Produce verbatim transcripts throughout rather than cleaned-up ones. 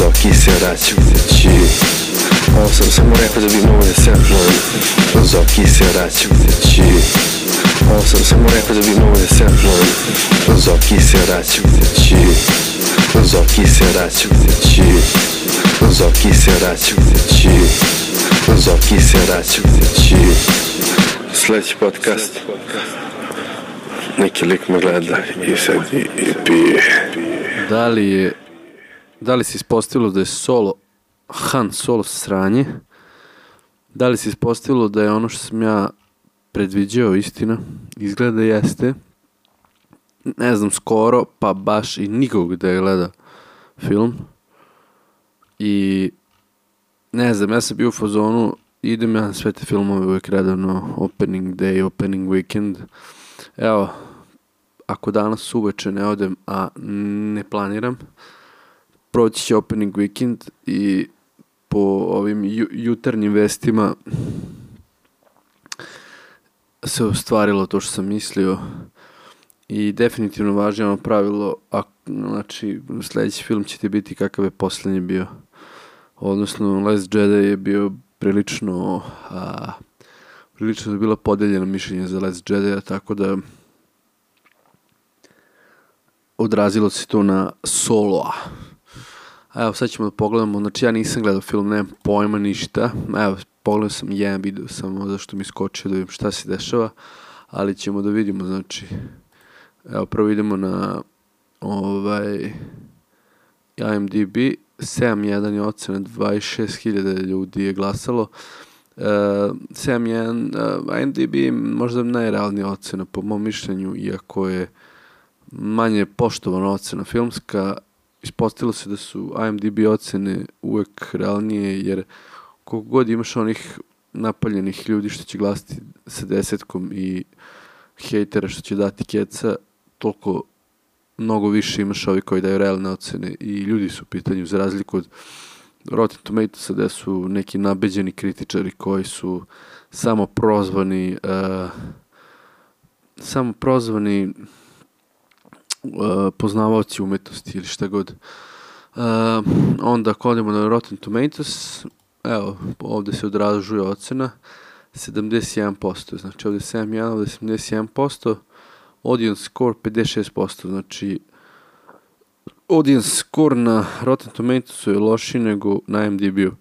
Zoki se vraća kući. Ovo sam samo rekao da bi mogo da se napnujem. Zoki se vraća kući. Ovo sam samo rekao da bi mogo da se napnujem. Zoki se vraća kući. Zoki se vraća kući. Zoki se vraća kući. Zoki se vraća kući. Sljedeći podcast. Neki lik me gleda i sad i, i pije. Da li je, da li se ispostavilo da je Solo, Han Solo sranje? Da li se ispostavilo da je ono što sam ja predviđao istina? Izgleda jeste. Ne znam skoro, pa baš i nikog da je gleda film. I ne znam, ja sam bio u fazonu, idem ja na sve te filmove uvijek redavno, opening day, opening weekend. Evo, ako danas uveče ne odem, a ne planiram, proći će opening weekend i po ovim ju- jutarnjim vestima se ostvarilo to što sam mislio i definitivno važi ono pravilo, a, znači sljedeći film će ti biti kakav je posljednji bio. Odnosno, Last Jedi je bio prilično, a, prilično je bilo podeljeno mišljenje za Last Jedi, tako da odrazilo se to na Soloa. A evo sad ćemo da pogledamo, znači ja nisam gledao film, nemam pojma ništa, evo pogledao sam jedan video samo zašto mi skočio da vidim šta se dešava, ali ćemo da vidimo, znači evo prvo idemo na ovaj I M D B, sedam jedan je ocena, dvadeset šest hiljada ljudi je glasalo. Uh, sedam jedan, uh, I M D B možda najrealnija ocena po mom mišljenju, iako je manje poštovana ocena filmska. Ispostavilo se da su I M D B ocene uvek realnije, jer koliko god imaš onih napaljenih ljudi što će glasiti sa desetkom i hejtera što će dati keca, toliko mnogo više imaš ovi koji daju realne ocene i ljudi su u pitanju, za razliku od Rotten Tomatoesa gde su neki nabeđeni kritičari koji su samo prozvani uh, samo prozvani uh, poznavaoci umetnosti ili šta god. Uh, onda ako odemo na Rotten Tomatoes, evo, ovdje se odražuje ocena sedamdeset jedan posto, znači ovdje sedam jedan, ovdje sedamdeset jedan posto, audience score pedeset šest posto, znači audience score na Rotten Tomatoesu je loši nego na I M D B-u.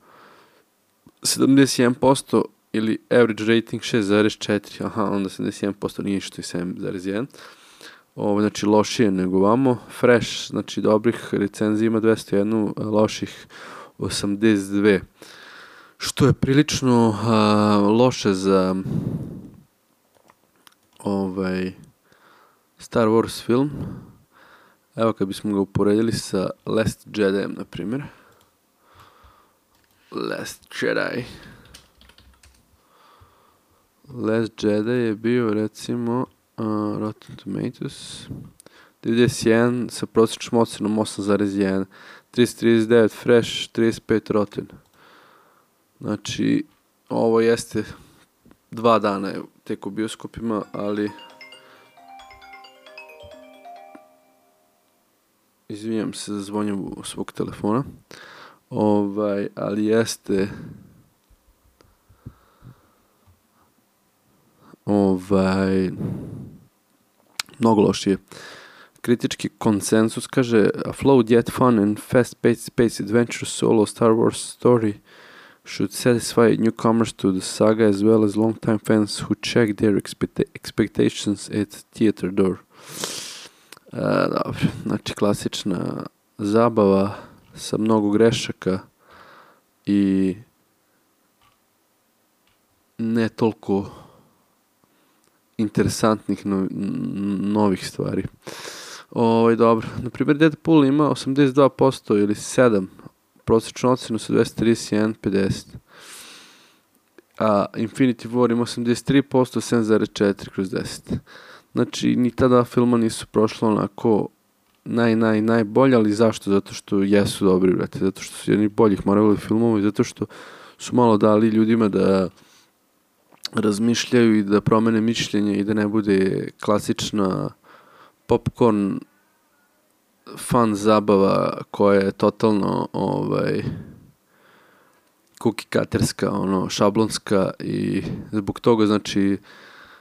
sedamdeset jedan posto ili average rating šest zarez četiri, aha, onda sedamdeset jedan posto nije što je sedam zarez jedan. Ovo, znači lošije nego vamo. Fresh, znači dobrih recenzija ima dvesta jedan, loših osamdeset dve. Što je prilično uh, loše za ovaj Star Wars film. Evo kad bismo ga uporedili sa Last Jedijem, na primjer. Last Jedi. Last Jedi je bio, recimo, uh, Rotten Tomatoes devedeset jedan sa prosječnom ocenom osam zarez jedan, tristo trideset devet Fresh, trideset pet Rotten. Znači, ovo jeste dva dana tek u bioskopima, ali izvinjam se za zvonju svog telefona. Ovaj, ali jeste ovaj mnogo lošije. Kritički konsensus kaže a flowed yet fun and fast-paced space adventure solo Star Wars story should satisfy newcomers to the saga as well as long-time fans who check their expect- expectations at theater door. Uh, dobro, znači klasična zabava sa mnogo grešaka i ne toliko interesantnih no, novih stvari. Ovo, dobro, na primjer Deadpool ima osamdeset dva posto ili sedam, prosječnu ocenu sa dvesta trideset jedan pedeset. A Infinity War ima osamdeset tri posto, sedam zarez četiri kroz deset. Znači, ni ta dva filma nisu prošla onako naj, naj, najbolje, ali zašto? Zato što jesu dobri, brate. Zato što su jedni boljih Marvelovi filmova i zato što su malo dali ljudima da razmišljaju i da promene mišljenje i da ne bude klasična popcorn fan zabava koja je totalno ovaj cookie-cuterska, ono, šablonska i zbog toga, znači,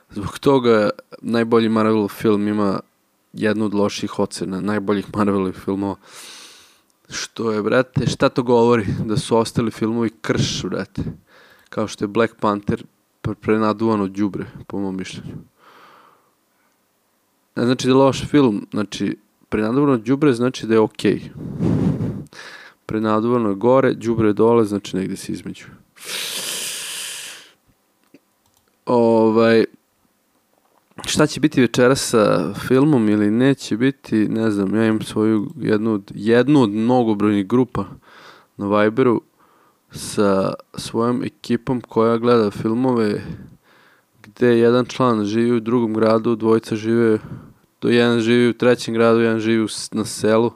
zbog toga najbolji Marvelov film ima jednu od loših ocena, najboljih Marvelovih filmova. Što je, brate, šta to govori? Da su ostali filmovi krš, brate. Kao što je Black Panther prenaduvano đubre, po mom mišljenju. Ne znači da je loš film, znači, prenaduvano đubre znači da je okej. Okay. Prenaduvano je gore, đubre je dole, znači negdje se između. Ovaj... Šta će biti večeras sa filmom ili neće biti, ne znam, ja imam svoju jednu od, jednu od mnogobrojnih grupa na Viberu sa svojom ekipom koja gleda filmove gde jedan član živi u drugom gradu, dvojica žive, do jedan živi u trećem gradu, jedan živi na selu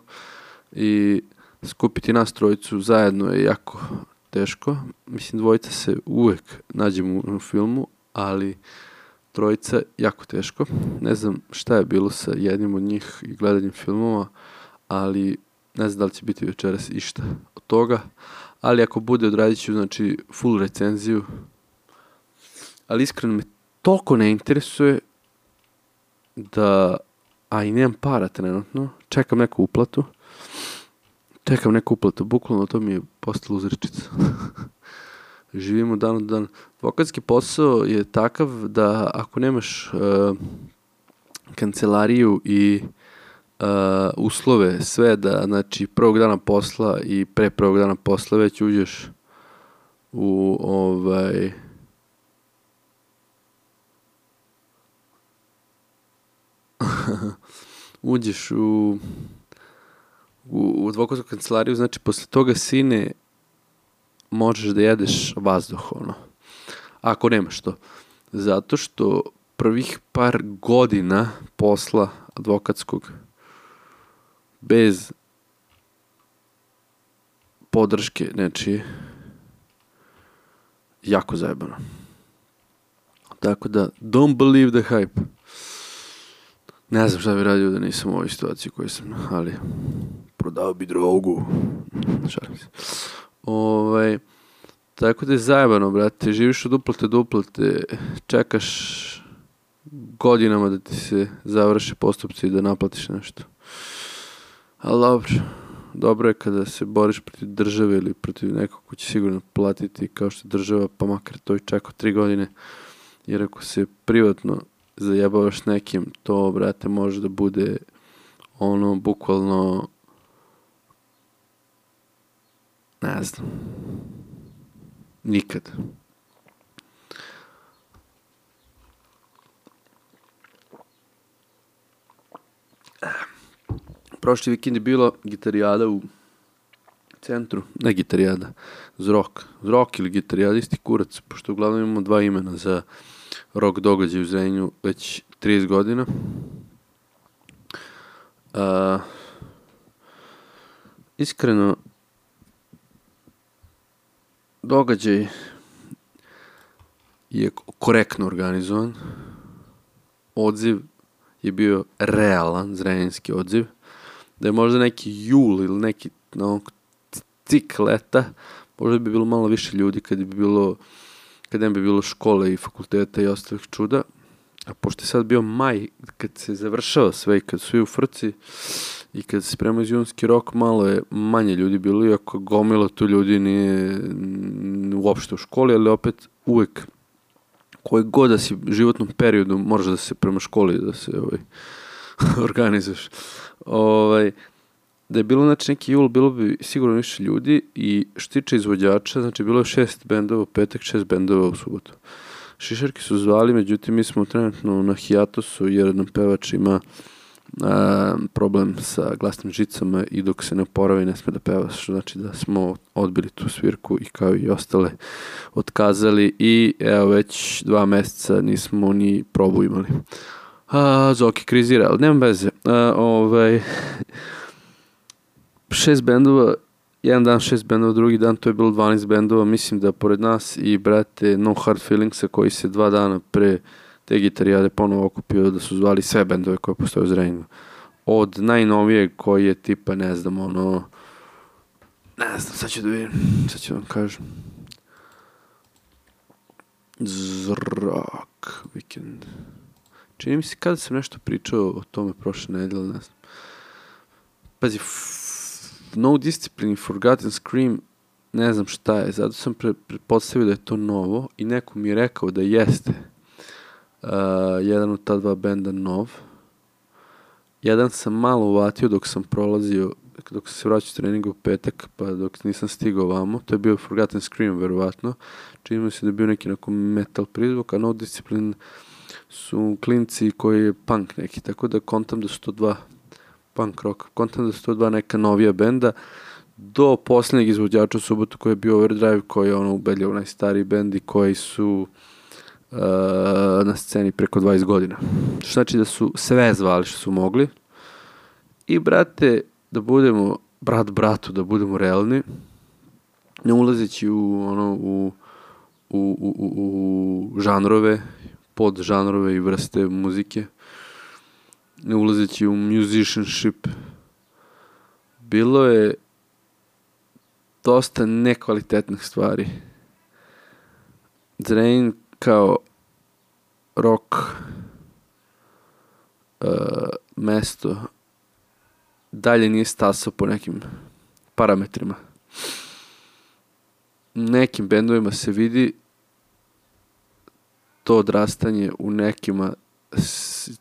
i skupiti nas trojicu zajedno je jako teško. Mislim, dvojica se uvek nađemo u filmu, ali trojica jako teško. Ne znam šta je bilo sa jednim od njih i gledanjem filmova, ali ne znam da li će biti večeras išta od toga. Ali ako bude, odradit ću, znači, full recenziju. Ali iskreno me toliko ne interesuje da, a i nemam para trenutno, čekam neku uplatu. Čekam neku uplatu, bukvalno to mi je postala uzrečica. Živimo dan od dan. Advokatski posao je takav da ako nemaš uh, kancelariju i uh, uslove, sve da, znači, prvog dana posla i pre prvog dana posla već uđeš u ovaj... uđeš u u, u advokatsku kancelariju, znači posle toga, sine, možeš da jedeš vazduh, ono. Ako nemaš to. Zato što prvih par godina posla advokatskog bez podrške nečije jako zajebano. Tako da, don't believe the hype. Ne znam šta bi radio da nisam u ovoj situaciji koju sam, ali prodao bi drogu. Šalim se. Ovaj, tako da je zajebano, brate. Živiš od uplate do uplate, čekaš godinama da ti se završe postupci i da naplatiš nešto. Ali dobro, dobro je kada se boriš protiv države ili protiv nekog ko će sigurno platiti kao što država, pa makar to i čekao tri godine. Jer ako se privatno zajebavaš nekim, to, brate, može da bude ono, bukvalno, ne znam, nikad. Prošli vikend je bilo gitarijada u centru, ne gitarijada, Zrok. Zrok ili gitarijada, isti kurac, pošto uglavnom imamo dva imena za rock događaj u Zrenju već trideset godina. Uh, iskreno, događaj je korektno organizovan. Odziv je bio realan, zrenjanski odziv. Da je možda neki jul ili neki no, cik leta, možda bi bilo malo više ljudi kad bi bilo kad ne bi bilo škole i fakulteta i ostalih čuda. A pošto je sad bio maj, kad se završava sve i kad su svi u frci i kad se spremao iz junski rok, malo je manje ljudi bilo, iako gomila tu ljudi nije uopšte u školi, ali opet uvek koji god da si u životnom periodu moraš da se prema školi da se ovaj, organizuješ. Ovaj, da je bilo, znači, neki jul, bilo bi sigurno više ljudi i što tiče izvođača, znači bilo je šest bendova u petak, šest bendova u subotu. Šišarki su zvali, međutim mi smo trenutno na hijatosu jer nam pevač ima a, problem sa glasnim žicama i dok se ne oporavi ne sme da peva, što znači da smo odbili tu svirku i kao i ostale otkazali i evo već dva meseca nismo ni probu imali. A, Zoki krizira, ali nema veze. A, ovaj... šest bendova, jedan dan šest bendova, drugi dan to je bilo dvanaest bendova, mislim da pored nas i brate No Hard Feelingsa koji se dva dana pre te gitarijade ponovo okupio da su zvali sve bendove koje postoje u Zrenjaninu. od najnovijeg koji je tipa, ne znam, ono, ne znam, sad ću da vidim, sad ću da vam kažem. Zrak, Weekend. Čini mi se kada sam nešto pričao o tome prošle nedelje, ne znam. Pazi, No Discipline i Forgotten Scream, ne znam šta je, zato sam pre, pretpostavio da je to novo i neko mi je rekao da jeste uh, jedan od ta dva benda nov. Jedan sam malo uvatio dok sam prolazio, dok sam se vraćao s treninga u petak, pa dok nisam stigao vamo, to je bio Forgotten Scream, verovatno. Čini mi se da je bio neki onako metal prizvuk, a No Discipline su klinci koji je punk neki, tako da kontam da su to dva punk rock, kontam da su to dva neka novija benda, do posljednjeg izvođača u subotu koji je bio Overdrive, koji je ono ubedljivo najstariji bend i koji su uh, na sceni preko dvadeset godina. Što znači da su sve zvali što su mogli. I brate, da budemo, brat bratu, da budemo realni, ne ulazeći u ono, u, u, u, u, u žanrove, pod žanrove i vrste muzike, ne ulazeći u musicianship, bilo je dosta nekvalitetnih stvari. Zrenjanin kao rock uh, mesto dalje nije stasao po nekim parametrima. Nekim bendovima se vidi to odrastanje, u nekima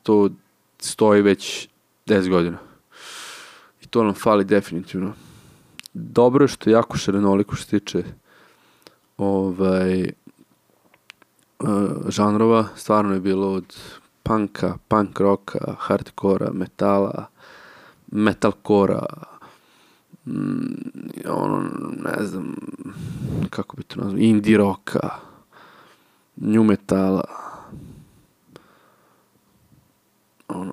to stoji već deset godina. I to nam fali definitivno. Dobro je što je jako šarenoliko što se tiče ovaj, uh, žanrova. Stvarno je bilo od punka, punk rocka, hardcora, metala, metalcora, mm, ono, ne znam, kako bi to nazvao, indie rocka, new metala, ono,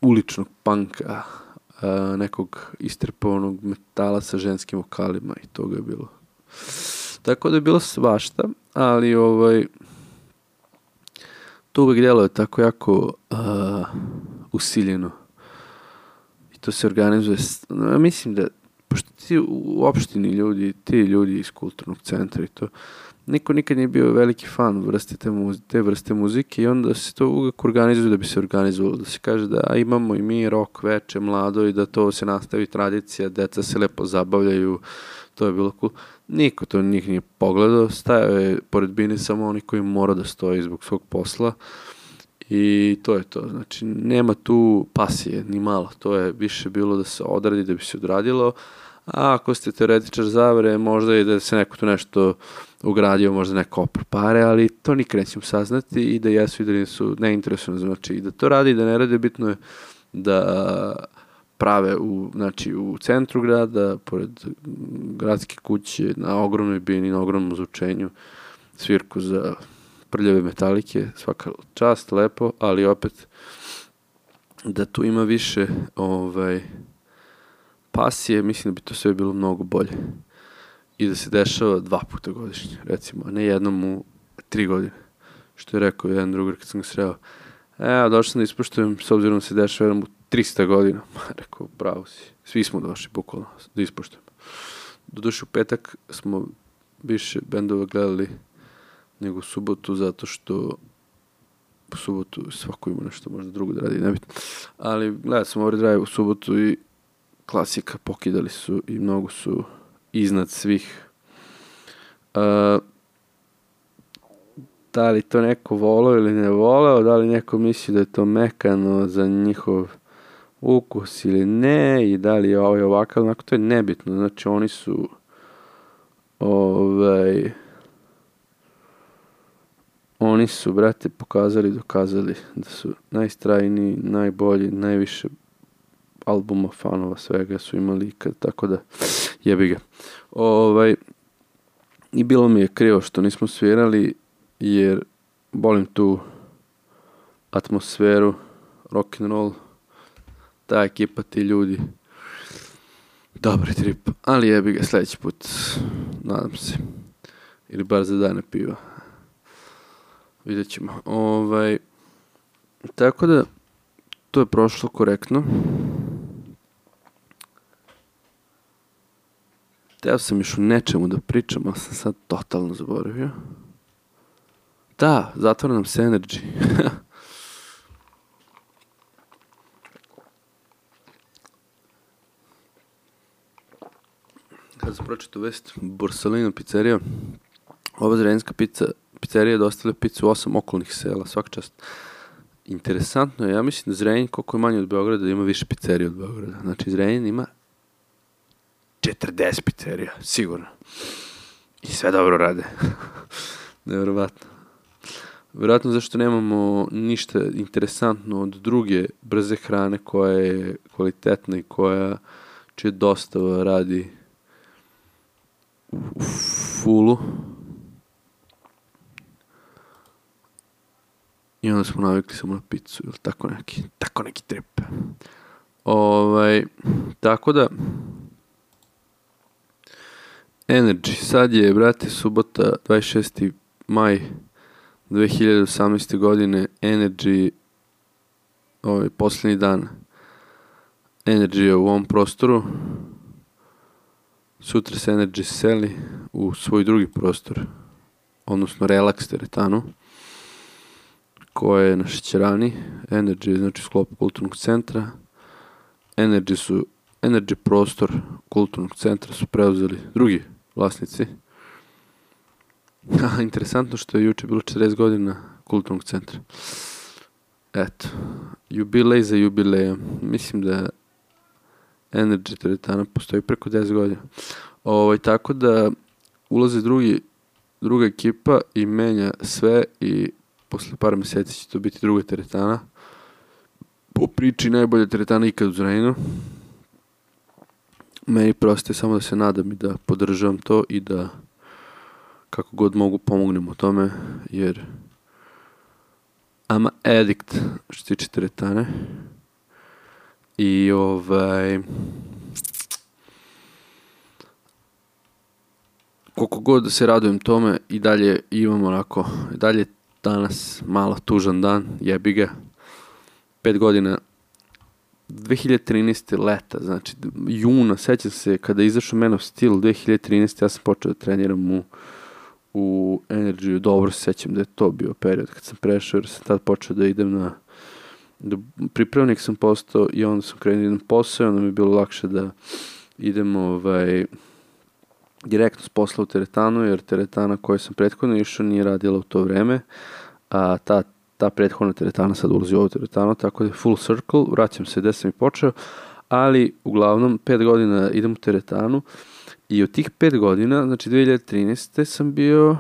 uličnog punka, uh, nekog istrpovanog metala sa ženskim vokalima i toga je bilo. Tako da je bilo svašta, ali ovaj, to uvek djeluje tako jako uh, usiljeno. I to se organizuje, ja mislim da, pošto ti u opštini ljudi, ti ljudi iz kulturnog centra i to, niko nikad nije bio veliki fan vrste te, muzi, te vrste muzike i onda se to uvijek organizuje da bi se organizovalo, da se kaže da imamo i mi rock veče, mlado i da to se nastavi tradicija, deca se lepo zabavljaju, to je bilo cool. Niko to njih nije pogledao, stajao je pored bine samo oni koji mora da stoji zbog svog posla i to je to. Znači, nema tu pasije, ni malo, to je više bilo da se odradi, da bi se odradilo, a ako ste teoretičar zavere, možda i da se neko tu nešto ugradio, možda neko opr pare, ali to nikad nećemo saznati i da jesu i da nisu neinteresovani, znači i da to radi i da ne radi, bitno je da prave u, znači, u centru grada, pored gradske kuće, na ogromnoj bini, na ogromnom zvučenju, svirku za prljave metalike, svaka čast, lepo, ali opet da tu ima više ovaj, pasije, mislim da bi to sve bilo mnogo bolje. I da se dešava dva puta godišnje, recimo, a ne jednom u tri godine. Što je rekao jedan drugar kad sam ga sreo. Evo, došao sam da ispoštujem, s obzirom da se dešava jednom u trista godina. Rekao, bravo si. Svi smo došli, bukvalno, da ispoštujemo. Doduše u petak smo više bendova gledali nego u subotu, zato što u subotu svako ima nešto možda drugo da radi, nebitno. Ali gledali smo Overdrive u subotu i klasika, pokidali su i mnogo su iznad svih. Uh, da li to neko voleo ili ne voleo, da li neko misli da je to mekano za njihov ukus ili ne, i da li je ovaj ovakav, onako, to je nebitno. Znači, oni su ovaj, oni su, brate, pokazali, dokazali da su najstrajniji, najbolji, najviše albuma, fanova, svega su imali ikad, tako da jebi ga. Ovaj, i bilo mi je krivo što nismo svirali, jer volim tu atmosferu, rock'n'roll, ta ekipa, ti ljudi, dobri trip, ali jebi ga, sljedeći put, nadam se, ili bar za dane piva, vidjet ćemo. Ovaj, tako da, to je prošlo korektno. Teo sam još u nečemu da pričam, ali sam sad totalno zaboravio. Da, zatvara nam se Energy. Kada sam pročitao vest, Borsalino pizzerija, ova zrenjska pizza, pizzerija je dostavila picu u osam okolnih sela, svaka čast. Interesantno je, ja mislim da Zrenjanin, koliko je manje od Beograda, ima više pizzerija od Beograda. Znači, Zrenjanin ima četrdeset pizzerija, sigurno. I sve dobro rade. Nevjerovatno. Vjerojatno zašto nemamo ništa interesantno od druge brze hrane koja je kvalitetna i koja čije dostava radi u fulu. I onda smo navikli samo na picu ili tako neki, tako neki trip. Ovaj, tako da Energy, sad je, brate, subota, dvadeset šesti maj dve hiljade osamnaeste. godine, Energy, ovaj, posljednji dan Energy je u ovom prostoru. Sutra se Energy seli u svoj drugi prostor, odnosno Relax teretanu, koja je na Šećerani. Energy je znači sklop kulturnog centra. Energy su, Energy prostor kulturnog centra su preuzeli drugi vlasnici. Interesantno što je juče bilo četrdeset godina kulturnog centra. Eto, jubilej za jubilejom. Mislim da Energy teretana postoji preko deset godina. Ovaj, tako da ulaze drugi, druga ekipa i menja sve i posle par meseci će to biti druga teretana. Po priči najbolja teretana ikad u Zrenjaninu. Meni prosto je samo da se nadam i da podržavam to i da kako god mogu pomognem u tome, jer I'm a addict što tiče teretane. I ovaj koliko god da se radujem tome i dalje imam onako, i dalje danas malo tužan dan, jebi ga. Pet godina, dve hiljade trinaeste. leta, znači juna, sećam se kada je izašao Man of Steel dve hiljade trinaeste. ja sam počeo da treniram u, u Energy, dobro se sećam da je to bio period kad sam prešao, jer sam tad počeo da idem na, da pripravnik sam postao i onda sam krenuo da idem posao, onda mi je bilo lakše da idem ovaj, direktno s posla u teretanu, jer teretana koju sam prethodno išao nije radila u to vreme, a ta ta prethodna teretana sad ulazi u ovu teretanu, tako da je full circle, vraćam se gde sam i počeo, ali uglavnom pet godina idem u teretanu i od tih pet godina, znači dve hiljade trinaeste. sam bio,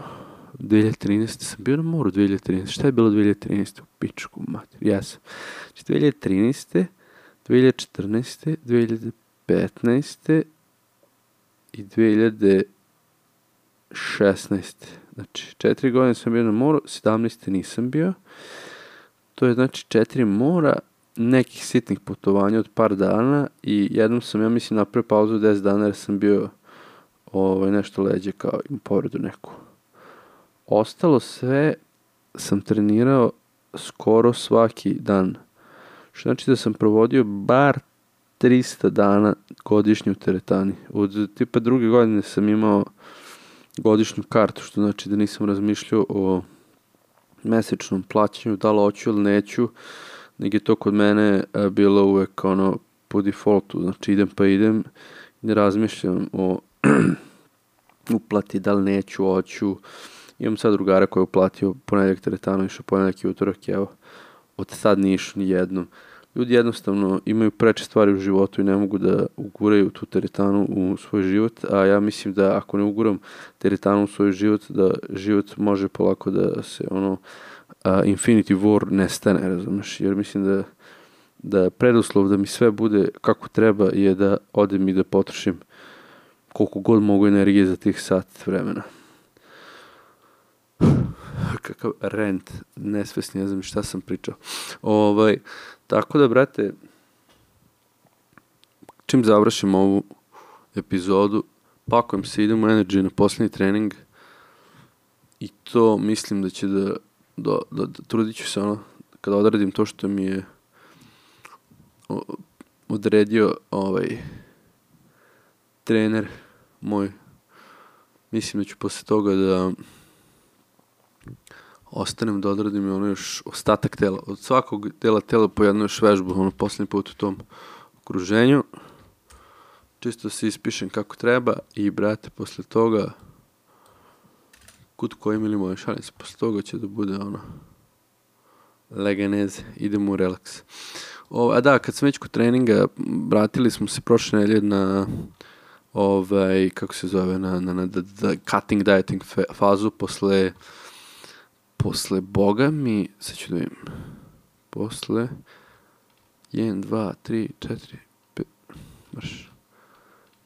dve hiljade trinaeste. sam bio na moru, dve hiljade trinaeste. Šta je bilo dve hiljade trinaeste? U pičku mater, jesam. Znači dve hiljade trinaeste. dve hiljade četrnaeste. dve hiljade petnaeste. i dve hiljade šesnaeste. Znači, četiri godine sam bio na moru, sedamnaeste nisam bio. To je znači četiri mora, nekih sitnih putovanja od par dana i jednom sam, ja mislim, napravio pauzu deset dana jer sam bio ovaj, nešto leđe kao im povredu neku. Ostalo sve sam trenirao skoro svaki dan. Što znači da sam provodio bar trista dana godišnje u teretani. Od tipa druge godine sam imao godišnju kartu, što znači da nisam razmišljao o mesečnom plaćanju, da li hoću ili neću, nego je to kod mene bilo uvek ono po defaultu, znači idem pa idem, ne razmišljam o uplati, da li neću, hoću. Imam sad drugara koji je uplatio ponedeljak teretanu, išao ponedeljak i utorak, evo, od sad nije išao ni jednom. Ljudi jednostavno imaju preče stvari u životu i ne mogu da uguraju tu teretanu u svoj život, a ja mislim da ako ne uguram teretanu u svoj život, da život može polako da se ono uh, Infinity War nestane, razumeš, jer mislim da da preduslov da mi sve bude kako treba je da odem i da potrošim koliko god mogu energije za tih sat vremena. Kakav rent, nesvesni, ne znam šta sam pričao. Ovaj, tako da, brate, čim završim ovu epizodu, pakujem se, idem u Energy na posljednji trening i to mislim da će da, da, da, da trudit ću se ono, kada odradim to što mi je odredio ovaj trener moj. Mislim da ću posle toga da ostanem da odradim ono još ostatak tela. Od svakog dela tela po jednu još vežbu, ono poslednji put u tom okruženju. Čisto se ispišem kako treba i, brate, posle toga kut koji mili moje šalim se, posle toga će da bude ono legeneze, idemo u relaks. O, a da, kad sam već kod treninga, vratili smo se prošle nedelje na ovaj, kako se zove, na, na, na da, da, cutting dieting fazu posle posle Boga mi, sad ću da vidim, posle jedan, dva, tri, četiri, pet, marš,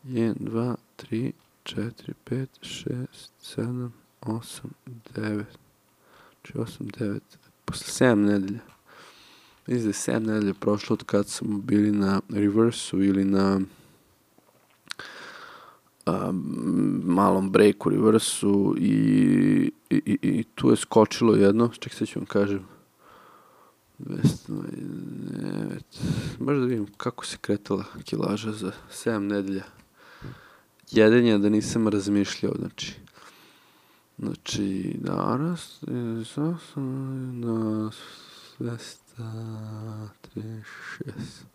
jedan, dva, tri, četiri, pet, šest, sedam, osam, devet, znači osam, devet, posle sedam nedelja. Mislim da je sedam nedelja prošlo od kad smo bili na reversu ili na um, malom breaku reversu i, i, i, i tu je skočilo jedno, ček sad ću vam kažem, dvesta devet, možda da vidim kako se kretala kilaža za sedam nedelja. Jedan je da nisam razmišljao, znači Znači, danas sam na dvesta trideset šest.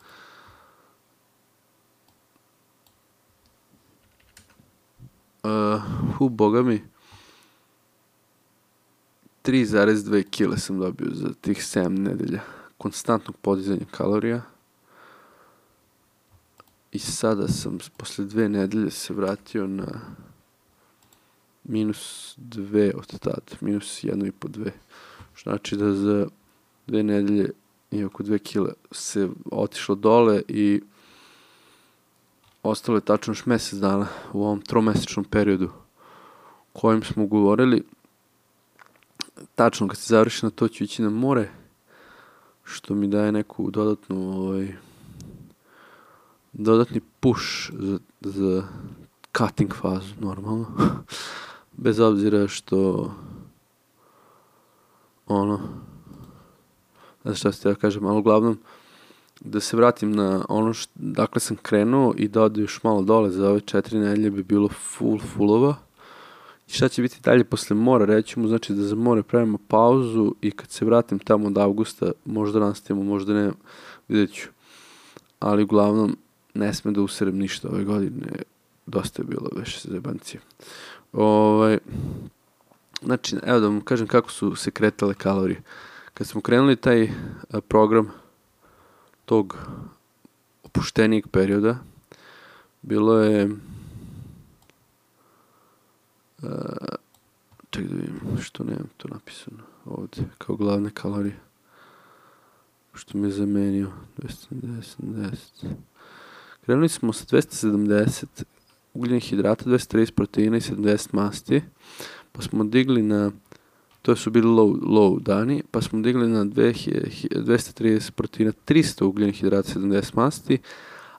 Uh, hu, boga mi, tri zarez dve kile sam dobio za tih sedam nedelja konstantnog podizanja kalorija. I sada sam posle dve nedelje se vratio na minus dve od tada, minus jedno i po dve. Što znači da za dve nedelje i oko dve kile se otišlo dole i ostalo je tačno još mesec dana u ovom tromesečnom periodu kojim smo govorili. Tačno kad se završi na to ću ići na more, što mi daje neku dodatnu ovaj, dodatni push za, za cutting fazu, normalno. Bez obzira što ono, ne znam šta ste ja kažem, ali uglavnom da se vratim na ono što, dakle sam krenuo i da ode još malo dole za ove četiri nedelje bi bilo full fullova. I šta će biti dalje posle mora, reći mu, znači da za more pravimo pauzu i kad se vratim tamo od avgusta, možda nastavimo, možda ne, vidjet ću. Ali uglavnom ne sme da userem ništa ove godine, dosta je bilo već zajebancije. Ovaj, znači, evo da vam kažem kako su se kretale kalorije. Kad smo krenuli taj a, program tog opuštenijeg perioda, bilo je a, ček da vidim što nemam to napisano ovdje kao glavne kalorije, što mi je zamenio dvesta sedamdeset. Krenuli smo sa dvesta sedamdeset ugljenih hidrata, dvesta trideset proteina i sedamdeset masti, pa smo digli na, to su bili low, low dani, pa smo digli na dvesta trideset proteina, trista ugljenih hidrata, sedamdeset masti,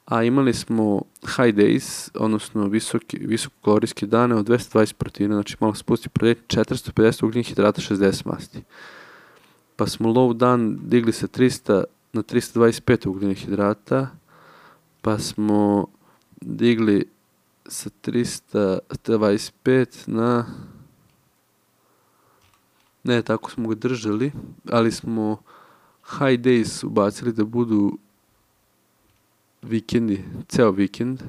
a imali smo high days, odnosno visoki, visokokalorijske dane od dvesta dvadeset proteina, znači malo spusti protein, četiristo pedeset ugljenih hidrata, šezdeset masti. Pa smo low dan digli sa trista na trista dvadeset pet ugljenih hidrata, pa smo digli sa trista dvadeset pet na, ne, tako smo ga držali, ali smo high days ubacili da budu vikendi, ceo vikend,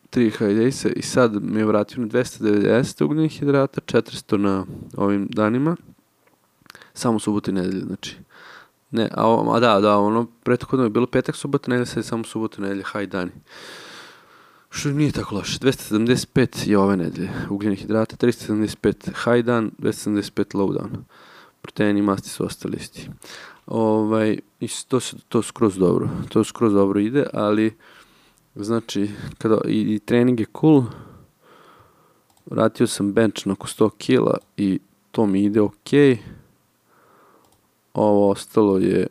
tri high daysa i sad me je vratio na dvesta devedeset ugljenih hidrata, četiristo na ovim danima, samo subotu i nedelje, znači. Ne, a, a da, da, ono, prethodno je bilo petak, subota, nedelja, sad je samo subota, nedelja, high dani. Što nije tako loše. dvesta sedamdeset pet je ove nedelje ugljenih hidrata, trista sedamdeset pet high dan, dvesta sedamdeset pet low dan. Proteini i masti su ostali isti. Ovaj, i to, to skroz dobro, to skroz dobro ide, ali znači, kada, i, i trening je cool, vratio sam bench na oko sto kila i to mi ide okej. Ovo ostalo je,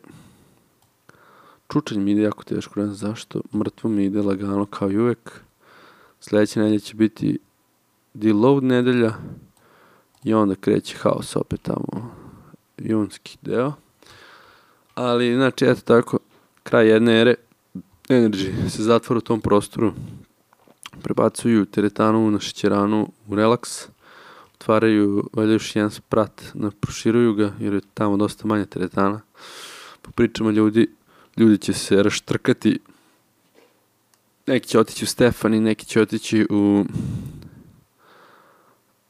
čučanj mi ide jako teško, ne znam zašto, mrtvo mi ide lagano kao i uvek. Sljedeća nedelja će biti deload nedelja i onda kreće haos opet tamo, junski deo. Ali, znači, eto tako, kraj jedne ere, Energy se zatvara u tom prostoru, prebacuju teretanu na šećeranu u relaks, otvaraju, valjda još jedan sprat, proširuju ga, jer je tamo dosta manje teretana. Po pričama ljudi, ljudi će se raštrkati, neki će otići u Stefani, neki će otići u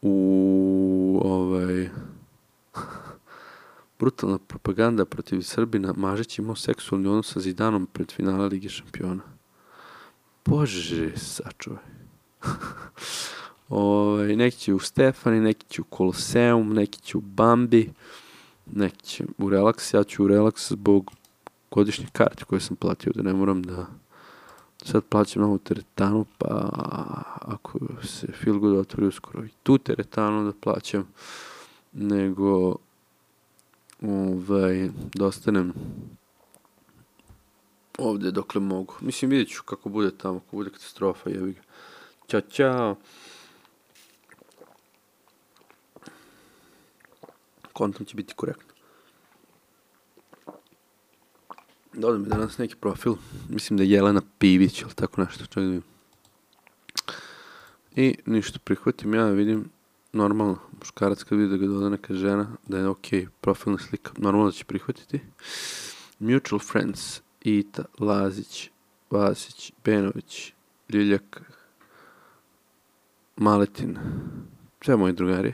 u ovaj brutalna propaganda protiv Srbina, Mažić imao seksualni odnos sa Zidanom pred finala Lige šampiona. Bože, sačuvaj. Ovaj, neki će u Stefani, neki će u Koloseum, neki će u Bambi, neki će u Relaks, ja ću u Relaks zbog godišnje karte koje sam platio, da ne moram da sad plaćam novu teretanu, pa ako se Feel Good otvori uskoro i tu teretanu da plaćam, nego ovaj, da ostanem ovde dokle mogu. Mislim, vidjet ću kako bude tamo, kako bude katastrofa, jebi ga. Ćao, čao. Kontam će biti korektno. Dodam mi danas neki profil, mislim da je Jelena Pivić, ili tako nešto, čak da vidim. I ništa, prihvatim ja, vidim, normalno, muškarac kad vidi da ga doda neka žena, da je ok, profilna slika, normalno da će prihvatiti. Mutual Friends, Ita, Lazić, Vasić, Benović, Ljiljak, Maletin, sve moji drugari.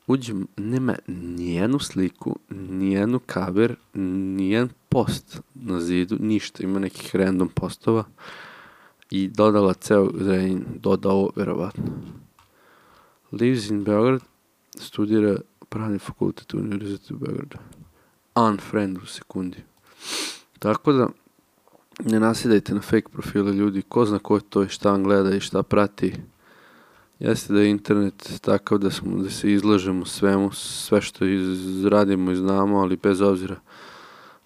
Uđem, nema nijednu sliku, nijednu cover, nijedan post na zidu, ništa, ima nekih random postova i dodala ceo Zrenjanin, dodao verovatno. Lives in Beograd, studira pravni fakultet u Univerzitetu u Beogradu. Unfriend u sekundi. Tako da, ne nasidajte na fake profile ljudi, ko zna ko je to i šta vam gleda i šta prati. Jeste da je internet takav da, smo, da se izlažemo svemu, sve što izradimo i znamo, ali bez obzira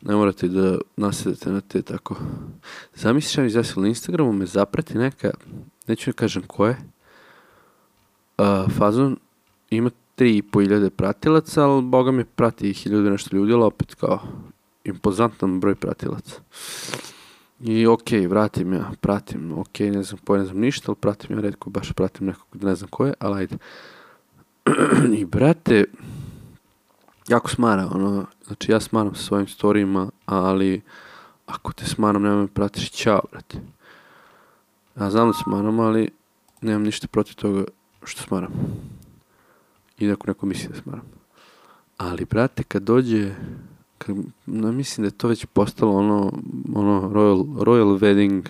ne morate da nasedate na te tako. Zamisliš ja mi izjasnila na Instagramu, me zaprati neka, neću ne kažem ko je, uh, fazon ima tri i po hiljade pratilaca, ali boga mi prati hiljadu nešto ljudi, ali opet kao impozantan broj pratilaca. I okej, okay, vratim ja, pratim, okej, okay, ne znam ko, ne znam ništa, ali pratim ja redko, baš pratim nekog, ne znam ko je, ali ajde. I brate, jako smara, ono, znači ja smaram sa svojim storijima, ali ako te smaram, nemoj me pratiš, ćao, brate. Ja znam da smaram, ali nemam ništa protiv toga što smaram. I da ako neko misli da smaram. Ali, brate, kad dođe... Kad, no, mislim da je to već postalo ono, ono royal, royal wedding,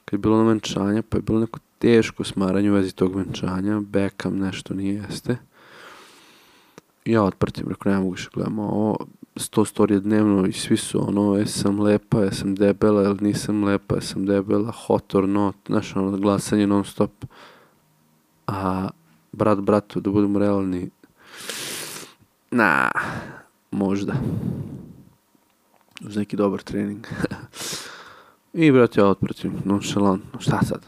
kad je bilo ono venčanje, pa je bilo neko teško smaranje u vezi tog venčanja, Beckham nešto nije jeste. I ja otpratim, rekao, ne mogu više gledam ovo, sto storije dnevno i svi su ono, jesam lepa, jesam debela, ili nisam lepa, jesam debela, hot or not, znaš, ono, glasanje non stop. A brat bratu, da budemo realni, na, možda. Uz neki dobar trening. I brate, ja otpratim, nonšalantno, šta sad?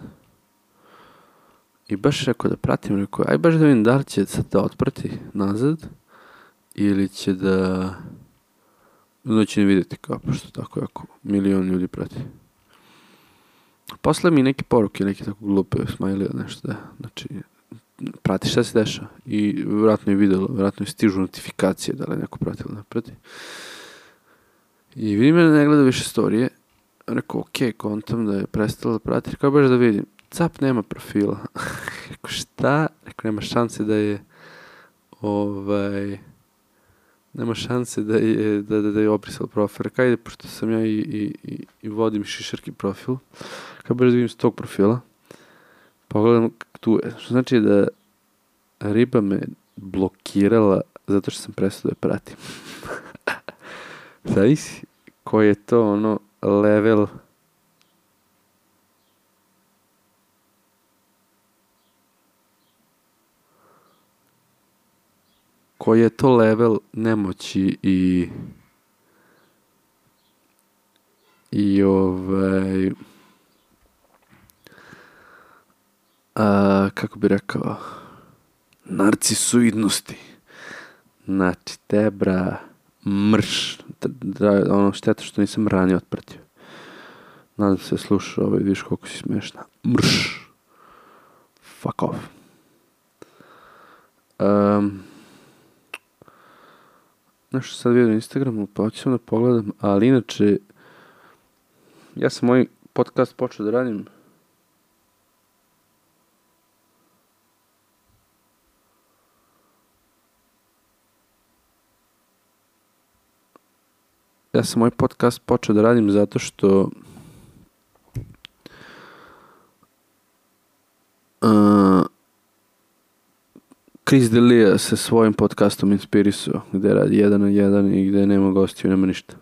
I baš rekao da pratim, rekao, aj baš da vidim da li će sad da otprati nazad, ili će da... da će ne vidjeti kao, pošto tako jako milion ljudi prati. Posle mi neke poruke, neke tako glupe smajlije, nešto da, znači, prati šta se deša. I vjerojatno je vidjelo, vjerojatno je stižu notifikacije da li je neko prati ili ne prati. I vidim ja da ne gleda više storije. Rekao, okej, kontam da je prestala da prati. Rekao, baš da vidim. Cap nema profila. Rekao, šta? Rekao, nema šanse da je ovaj... Nema šanse da je, da, da, da je obrisal profil. Rekao, ajde, pošto sam ja i, i, i, i vodim šišarki profil. Rekao, baš da vidim s tog profila. Pogledam tu je. Što znači da riba me blokirala zato što sam prestao da je pratim. Zavisi koji je to ono level koji je to level nemoći i i ovaj a, kako bi rekao narcisoidnosti. Znači te bra mrš, da, ono, šteta što nisam ranije otpratio. Nadam se slušao ovaj, vidiš koliko si smiješna. Mrš. Fuck off. Um, Nešto sad vidio na Instagramu, pa hoću da pogledam, ali inače, ja sam moj podcast počeo da radim ja sam moj podcast počeo da radim zato što uh, Chris D'Elia se svojim podcastom inspirisao, gde radi jedan na jedan i gde nema gostiju, nema ništa.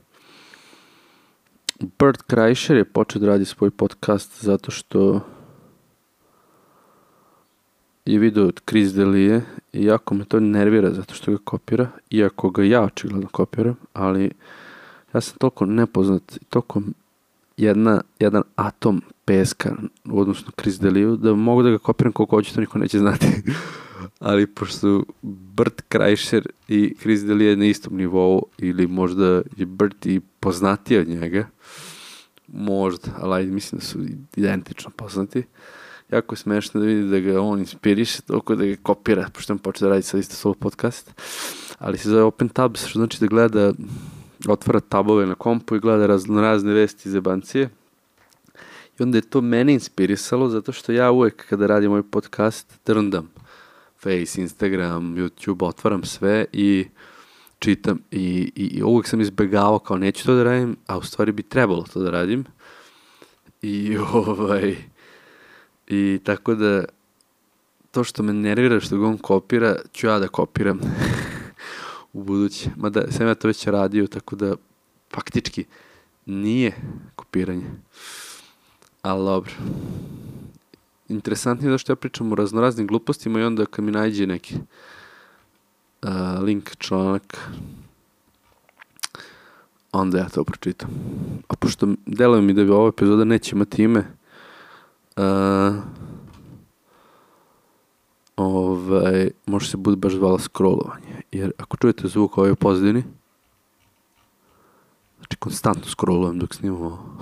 Bert Kreischer je počeo da radi svoj podcast zato što je vidio od Chris D'Elia i jako me to nervira zato što ga kopira, iako ga ja očigledno kopiram, ali ja sam toliko nepoznat, toliko jedna, jedan atom peska u odnosu na Chris D'Eliu, da mogu da ga kopiram koliko hoću, to niko neće znati. Ali pošto Bert Kreischer i Chris D'Elia na istom nivou, ili možda je Bert i poznatiji od njega, možda, ali mislim da su identično poznati, jako je smešno da vidi da ga on inspiriše toliko da ga kopira, pošto on počeo da radi sad isto solo podcast, ali se zove Open Tabs, što znači da gleda, otvara tabove na kompu i gleda razne, razne vesti iz jebancije. I onda je to mene inspirisalo, zato što ja uvek kada radim moj podcast drndam Face, Instagram, YouTube, otvaram sve i čitam i, i, i uvek sam izbegavao kao neću to da radim, a u stvari bi trebalo to da radim. I ovaj i tako da to što me nervira što ga on kopira, ću ja da kopiram u buduće. Mada sam ja to već radio, tako da faktički nije kopiranje. Ali dobro. Interesantnije je da što ja pričam o raznoraznim glupostima i onda kad mi nađe neki uh, link, članak, onda ja to pročitam. A pošto deluje mi da bi ova epizoda neće imati ime, uh, ovaj, može se bude baš zvala scrollovanje. Jer ako čujete zvuk ovaj u pozadini, znači konstantno scrollujem dok snimam ovo.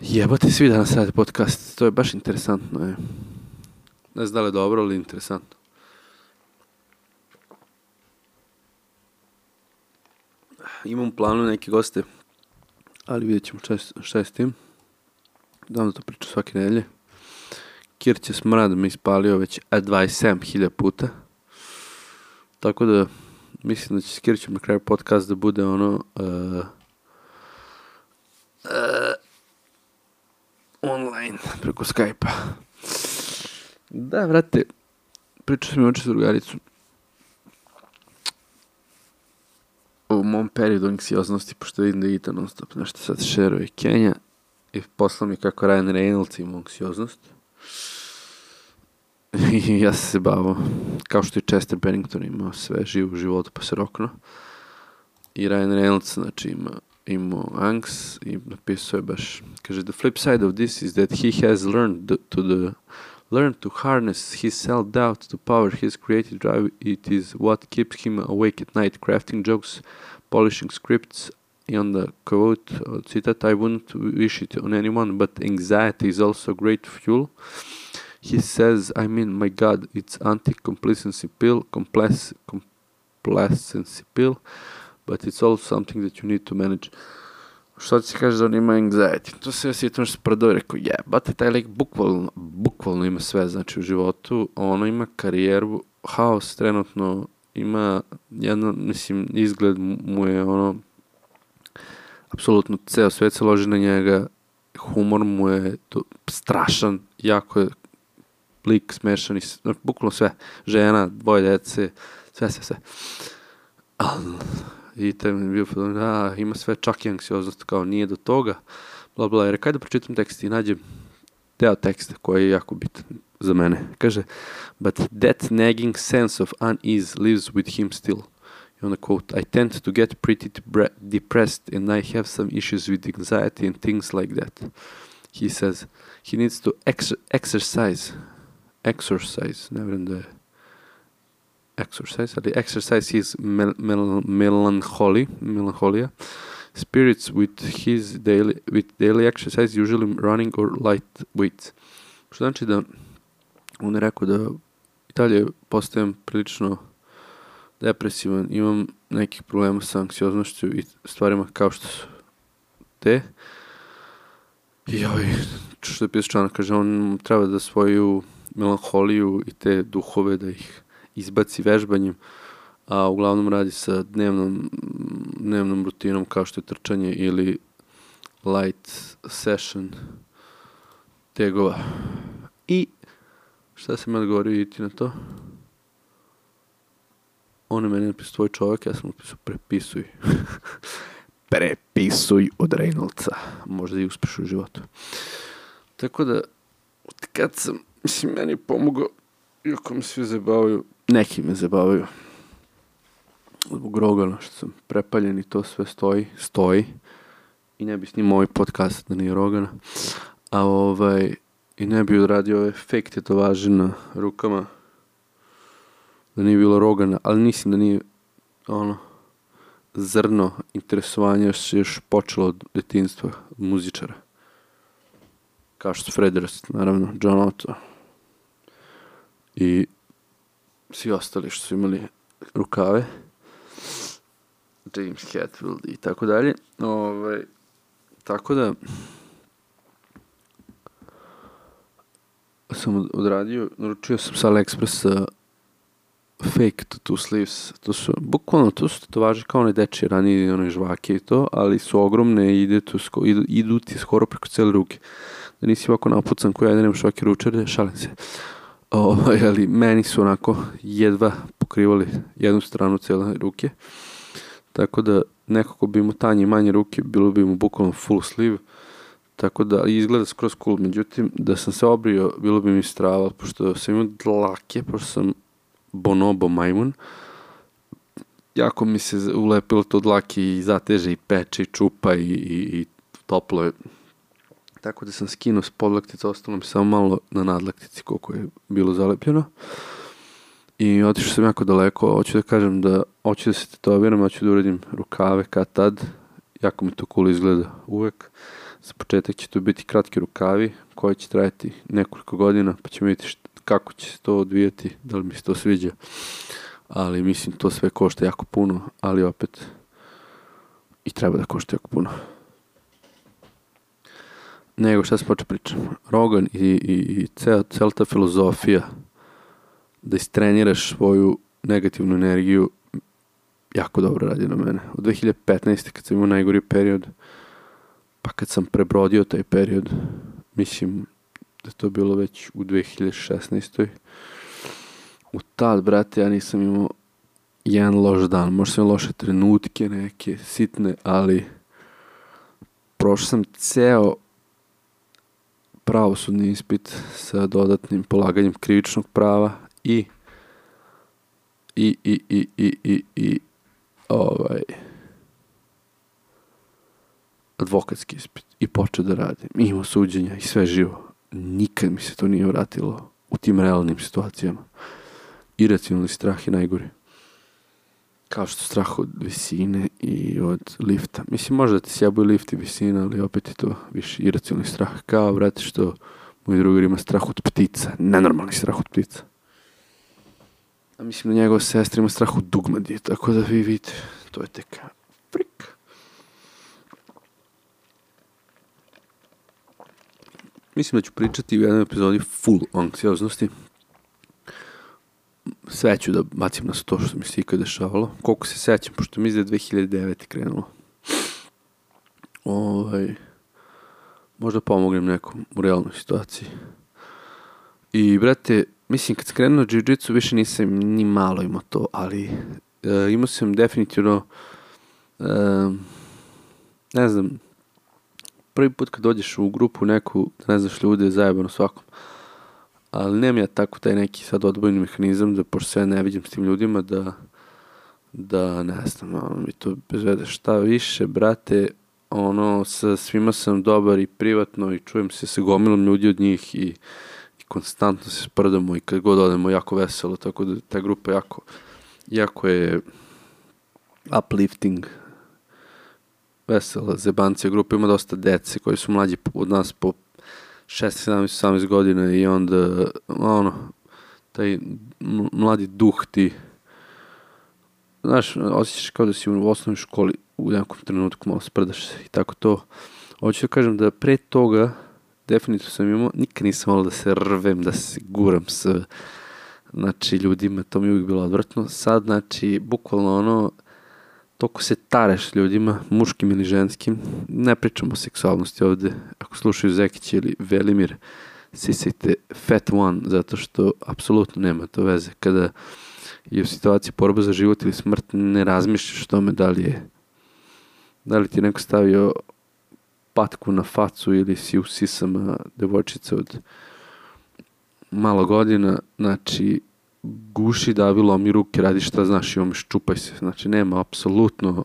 Jebate, svi danas rade podcast, to je baš interesantno. Je. Ne znam da li je dobro, ali interesantno. Imam u planu neke goste, ali vidjet ćemo šta je s tim. Davno to pričam svake nedelje. Kirće smrad me ispalio već dvadeset sedam hiljada puta. Tako da mislim da će s Kirćem na kraju podcast da bude ono uh, uh, online preko Skype-a. Da, vrate, pričao sam i oče s drugaricom u mom periodu anksioznosti, pošto vidim da ide non stop nešto sad šeruje i Kenja i poslao mi kako Ryan Reynolds ima anksioznost. I ja sam se bavio, kao što i Chester Bennington imao sve živo u životu pa se rokno. I Ryan Reynolds, znači, ima imao anks i napisao je baš, kaže, the flip side of this is that he has learned to the learned to harness his self-doubt to power his creative drive. It is what keeps him awake at night, crafting jokes, polishing scripts. I onda quote, citat, I wouldn't wish it on anyone, but anxiety is also great fuel. He says, I mean, my God, it's anti-complacency pill, complac- complacency pill, but it's also something that you need to manage. Što ti se kaže da on ima anxiety? To se ja sjetim što se prodao i rekao, jebate, taj lik bukvalno, bukvalno ima sve, znači u životu, ono ima karijeru, haos trenutno, ima jedno, mislim, izgled mu je ono, apsolutno ceo svet se loži na njega, humor mu je to, strašan, jako je lik smešan i bukvalno sve, žena, dvoje dece, sve, sve, sve. Ali, i taj mi je bio podobno, da, ima sve, čak i anksioznost, kao nije do toga, bla, bla, jer kaj da pročitam tekst i nađem deo teksta koji je jako bitan za mene. Kaže, but that nagging sense of unease lives with him still. I onda quote, I tend to get pretty depressed and I have some issues with anxiety and things like that. He says, he needs to ex- exercise, exercise, ne vjerujem da je exercise, ali exercise is mel- mel- melancholy, melancholia. Spirits with his daily with daily exercise, usually running or light weights. Što znači da on je rekao da i dalje postajem prilično depresivan, imam nekih problema sa anksioznošću i stvarima kao što su te. I ovaj, što je pisao članak, kaže, on treba da svoju melanholiju i te duhove da ih izbaci vežbanjem, a uglavnom radi sa dnevnom, dnevnom rutinom kao što je trčanje ili light session tegova. I šta sam ja odgovorio i ti na to? On je meni napisao tvoj čovjek, ja sam napisao prepisuj. Prepisuj od Reynoldsa. Možda i uspeš u životu. Tako da, kad sam, mislim, meni je pomogao, iako me svi zabavaju, neki me zabavaju. Zbog Rogana, što sam prepaljen i to sve stoji, stoji. I ne bi snimao ovaj podcast da nije Rogana. A ovaj, i ne bi odradio ove fake tetovaže na rukama. Da nije bilo Rogana, ali mislim da nije, ono, zrno interesovanja još, još počelo od detinjstva, od muzičara. Kao što su Fred Durst, naravno, John Otto. I svi ostali što su imali rukave. James Hetfield i tako dalje. Ovaj, tako da sam odradio, naručio sam sa AliExpressa fake tattoo sleeves. To su, bukvalno, to su tetovaže kao one dečije ranije, one žvake i to, ali su ogromne i ide tu, sko, idu, idu ti skoro preko cijele ruke. Da nisi ovako napucan koji ja da nemaš ovake ručare, šalim se. O, ali meni su onako jedva pokrivali jednu stranu cijele ruke. Tako da neko ko bi imao tanje i manje ruke, bilo bi mu bukvalno full sleeve. Tako da izgleda skroz cool. Međutim, da sam se obrio, bilo bi mi strava, pošto sam imao dlake, pošto sam bonobo majmun. Jako mi se ulepilo to dlake i zateže i peče i čupa i, i, i toplo je. Tako da sam skinuo s podlaktica, ostalo mi samo malo na nadlaktici koliko je bilo zalepljeno. I otišao sam jako daleko, hoću da kažem da hoću da se tetoviram, hoću da uradim rukave kad tad. Jako mi to cool izgleda uvek. Za početak će to biti kratki rukavi koji će trajati nekoliko godina, pa ćemo vidjeti šta, kako će se to odvijati, da li mi se to sviđa. Ali mislim to sve košta jako puno, ali opet i treba da košta jako puno. Nego šta sam počeo pričam. Rogan i, i, i cel, cel ta filozofija da istreniraš svoju negativnu energiju jako dobro radi na mene. Od dve hiljade petnaeste kad sam imao najgori period, pa kad sam prebrodio taj period, mislim da to bilo već u dve hiljade šesnaestoj. U tad, brate, ja nisam imao jedan loš dan. Možda sam loše trenutke neke, sitne, ali prošao sam ceo pravosudni ispit sa dodatnim polaganjem krivičnog prava i i, i, i, i, i, i ovaj advokatski ispit i počeo da radim. Imao suđenja i sve živo. Nikad mi se to nije vratilo u tim realnim situacijama. Iracionalni strah je najgori. Kao što strah od visine i od lifta. Mislim, možda ti sjabuje lift i visina, ali opet je to više iracionalni strah. Kao, vrati, što moj drugar ima strah od ptica. Nenormalni strah od ptica. A mislim da njegova sestra ima strah od dugmadi. Tako da vi vidite, to je tek frik. Mislim da ću pričati u jednoj epizodi full anksioznosti. Sve ću da bacim na to što mi se ikad dešavalo. Koliko se sećam, pošto mi je dve hiljade devete krenulo. Ovaj, možda pomognem nekom u realnoj situaciji. I, brate, mislim, kad sam krenuo jiu-jitsu, više nisam ni malo imao to, ali e, imao sam definitivno, e, ne znam, prvi put kad dođeš u grupu neku, ne znaš ljude, zajebano svakom. Ali nemam ja tako taj neki sad odbojni mehanizam da pošto se ja ne vidim s tim ljudima da da ne znam, ono mi to bezvede šta više, brate, ono sa svima sam dobar i privatno i čujem se sa gomilom ljudi od njih i, i konstantno se sprdamo i kad god odemo jako veselo, tako da ta grupa jako, jako je uplifting, vesela, zebancija grupa, ima dosta dece koji su mlađi od nas po šesnaest, sedamnaest, osamnaest godina i onda, ono, taj mladi duh ti, znaš, osjećaš kao da si u osnovnoj školi u nekom trenutku malo sprdaš se i tako to. Hoću da kažem da pre toga definitivno sam imao, nikad nisam malo da se rvem, da se guram s, znači, ljudima, to mi je uvijek bilo odvrtno. Sad, znači, bukvalno ono, toliko se tareš ljudima, muškim ili ženskim, ne pričamo o seksualnosti ovde, ako slušaju Zekić ili Velimir, sisajte Fat One, zato što apsolutno nema to veze. Kada je u situaciji borba za život ili smrt, ne razmišljaš tome da li je, da li ti neko stavio patku na facu ili si u sisama devojčica od malo godina, znači guši davi, lomi ruke, radi šta znaš i omiš, čupaj se. Znači nema apsolutno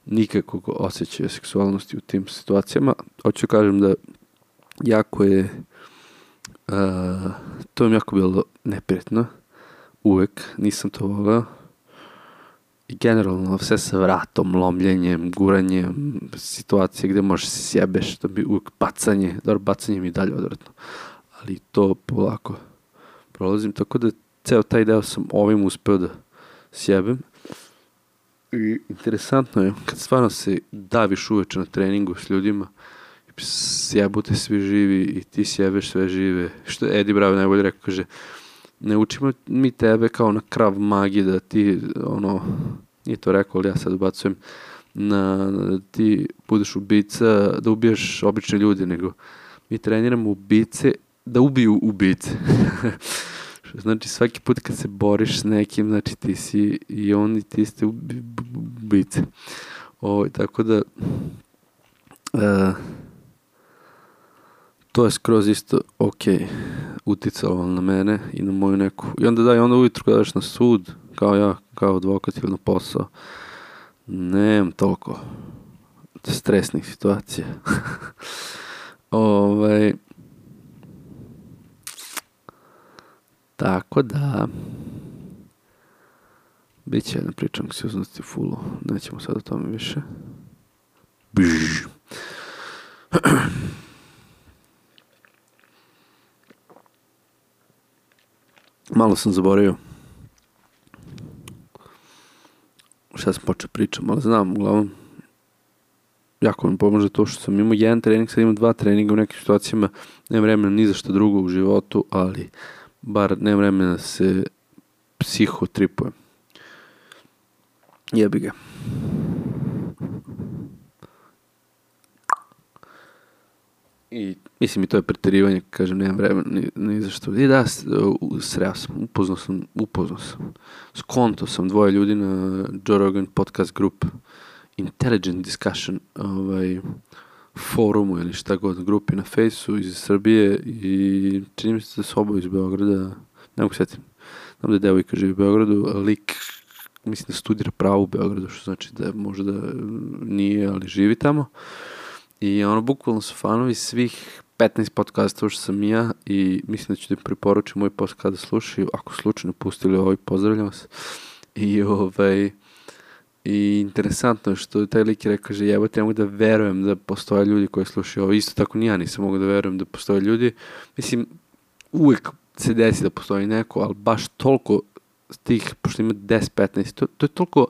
nikakvog osjećaja seksualnosti u tim situacijama. Hoću kažem da jako je uh, to mi jako bilo neprijatno. Uvek nisam to voleo. I generalno sve sa vratom, lomljenjem, guranjem, situacije gde možeš se sjebeš, to bi uvek bacanje, dobro, bacanje mi dalje odvratno, ali to polako prolazim, tako da ceo taj deo sam ovim uspeo da sjebem. I interesantno je, kad stvarno se daviš uveče na treningu s ljudima, sjebute svi živi i ti sjebeš sve žive, što je Eddie Bravo najbolje rekao, kaže, ne učimo mi tebe kao na Krav Magi da ti, ono, nije to rekao, ali ja sad ubacujem, na, da ti budeš ubica, da ubiješ obične ljudi, nego mi treniramo ubice da ubiju ubice. Znači svaki put kad se boriš s nekim, znači ti si i oni, ti ste ubice. O, tako da uh, to je skroz isto ok uticalo na mene i na moju neku, i onda da, i onda ujutru kada daš na sud, kao ja, kao advokat ili na posao, nemam toliko stresnih situacija. ovaj tako da bit će jedna priča anksioznosti u fullu, nećemo sad o tome više. Bžž. Malo sam zaboravio šta sam počeo pričam, ali znam, uglavnom jako mi pomože to što sam imao jedan trening, sad imam dva treninga u nekim situacijama, nemam vremena ni za što drugo u životu, ali bar nemam vremena da se psihotripujem. Jebi ga. I mislim i to je preterivanje, kažem, nemam vremena ni, ni za što. I da, sreo sam, upoznao sam, upoznao sam. Skonto sam dvoje ljudi na Joe Rogan podcast group Intelligent Discussion ovaj, forumu ili šta god, grupi na Fejsu iz Srbije i čini mi se da su oba iz Beograda, ne mogu setim. Znam da je devojka živi u Beogradu, a lik, mislim da studira pravo u Beogradu, što znači da možda nije, ali živi tamo. I ono, bukvalno su fanovi svih petnaest podcastova što sam ja i mislim da ću da im preporučim moj podcast da slušaju, ako slučajno pustili ovaj, pozdravljam vas. I ovaj, i interesantno je što taj lik je rekao, že jebote, ja mogu da verujem da postoje ljudi koji slušaju ovo, isto tako ni ja nisam mogu da verujem da postoje ljudi, mislim, uvijek se desi da postoji neko, ali baš toliko tih, pošto ima deset petnaest, to, to je toliko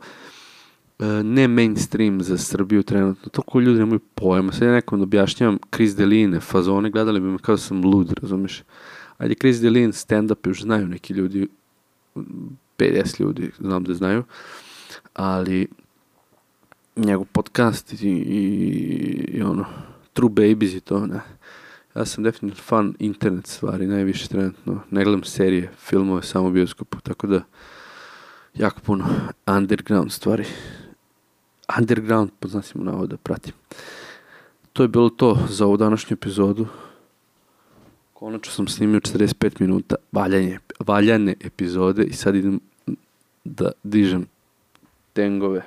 uh, ne mainstream za Srbiju trenutno, toliko ljudi nemaju pojma, sad ja nekom objašnjavam Chris Deline, fazone, gledali bi me kao da sam lud, razumiješ, ajde Chris Deline, stand-up, još znaju neki ljudi, pedeset ljudi, znam da znaju, ali njegov podcast i, i, i ono, True Babies i to, ne. Ja sam definitivno fan internet stvari, najviše trenutno. Ne gledam serije, filmove, samo u bioskopu, tako da jako puno underground stvari. Underground, pod znacima navoda, pratim. To je bilo to za ovu današnju epizodu. Konačno sam snimio četrdeset pet minuta valjanje, valjane epizode i sad idem da dižem tengove.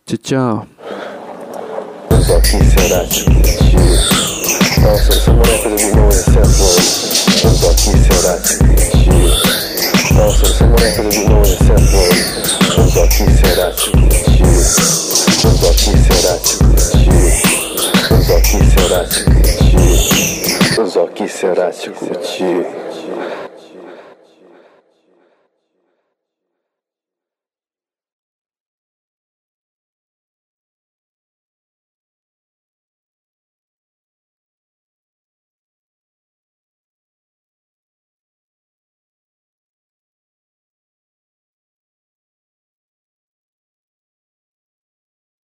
Ćao, ćao. Zoki se račun. Evo sam samo rekao da bi mogo da sepnem Zoki i Seraci kući. Evo sam samo rekao da bi mogo da sepnem Zoki i Seraci kući. Zoki i Seraci kući. Zoki i Seraci kući. Zoki i Seraci kući.